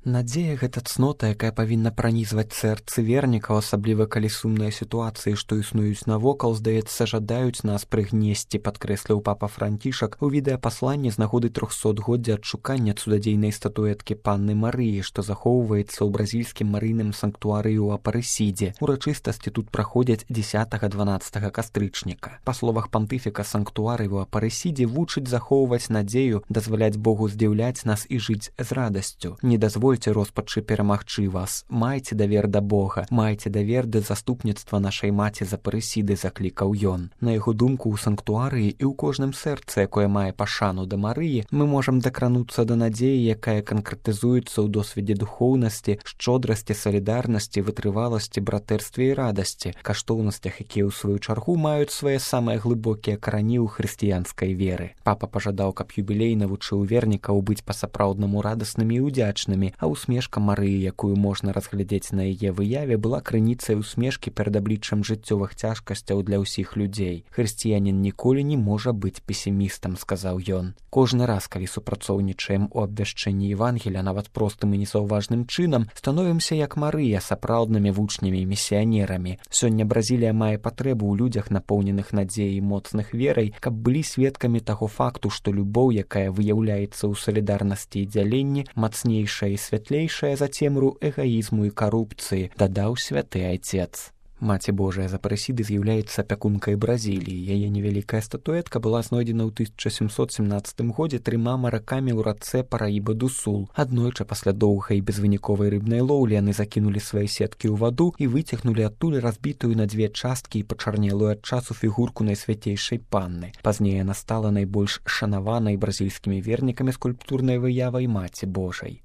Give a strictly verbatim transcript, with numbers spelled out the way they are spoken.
Надзея — гэта цнота, якая павінна пранізваць сэрцы вернікаў, асабліва калі сумныя сітуацыі, што існуюць навокал, здаецца, жадаюць нас прыгнесці, падкрэсліў папа Францішак у відэапасланні з нагоды трохсотгоддзя адшукання цудадзейнай статуэткі Панны Марыі, што захоўваецца ў бразільскім марыйным санктуарыі ў Апарэсідзе. Урачыстасці тут праходзяць дзесятага-дванаццатага кастрычніка. Па словах пантыфіка, санктуарый у Апарэсідзе вучыць захоўваць надзею, дазваляць Богу здзіўляць нас і жыць з радасцю. Не дазвольце роспачы перамагчы вас. Майце давер да Бога, майце давер да заступніцтва нашай маці з Апарэсіды, заклікаў ён. На яго думку, у санктуарыі і ў кожным сэрцы, якое мае пашану да Марыі, мы можам дакрануцца да надзеі, якая канкрэтызуецца ў досведзе духоўнасці, шчодрасці, салідарнасці, вытрываласці, братэрстве і радасці, каштоўнасцях, якія ў сваю чаргу маюць свае самыя глыбокія карані ў хрысціянскай веры. Папа пажадаў, каб юбілей навучыў вернікаў быць па-сапраўднаму радаснымі і удзячнымі, а усмешка Марыі, якую можна разглядзець на яе выяве, была крыніцай усмешкі перад абліччам жыццёвых цяжкасцяў для ўсіх людзей. Хрысціянін ніколі не можа быць песімістам, сказаў ён. Кожны раз, калі супрацоўнічаем у абвяшчэнні Евангелія, нават простым і незаўважным чынам, становімся як Марыя, сапраўднымі вучнямі і місіянерамі. Сёння Бразілія мае патрэбу ў людзях, напоўненых надзеяй і моцных верай, каб былі сведкамі таго факту, што любоў, якая выяўляецца ў салідарнасці і дзяленні, мацнейшая і святлейшая за цемру эгаізму і карупцыі, дадаў святы айцец. Маці Божая з Апарэсіды з'яўляецца апякункай Бразіліі. Яе невялікая статуэтка была знойдзена ў тысяча сямсот семнаццатым годзе трыма маракамі ў рацэ Параіба-ду-Сул. Аднойчы пасля доўгай безвыніковай рыбнай лоўлі яны закінулі свае сеткі ў ваду і выцягнулі адтуль разбітую на дзве часткі і пачарнелую ад часу фігурку найсвяцейшай панны. Пазней яна стала найбольш шанаванай бразільскімі вернікамі скульптурнай выявай Маці Божай.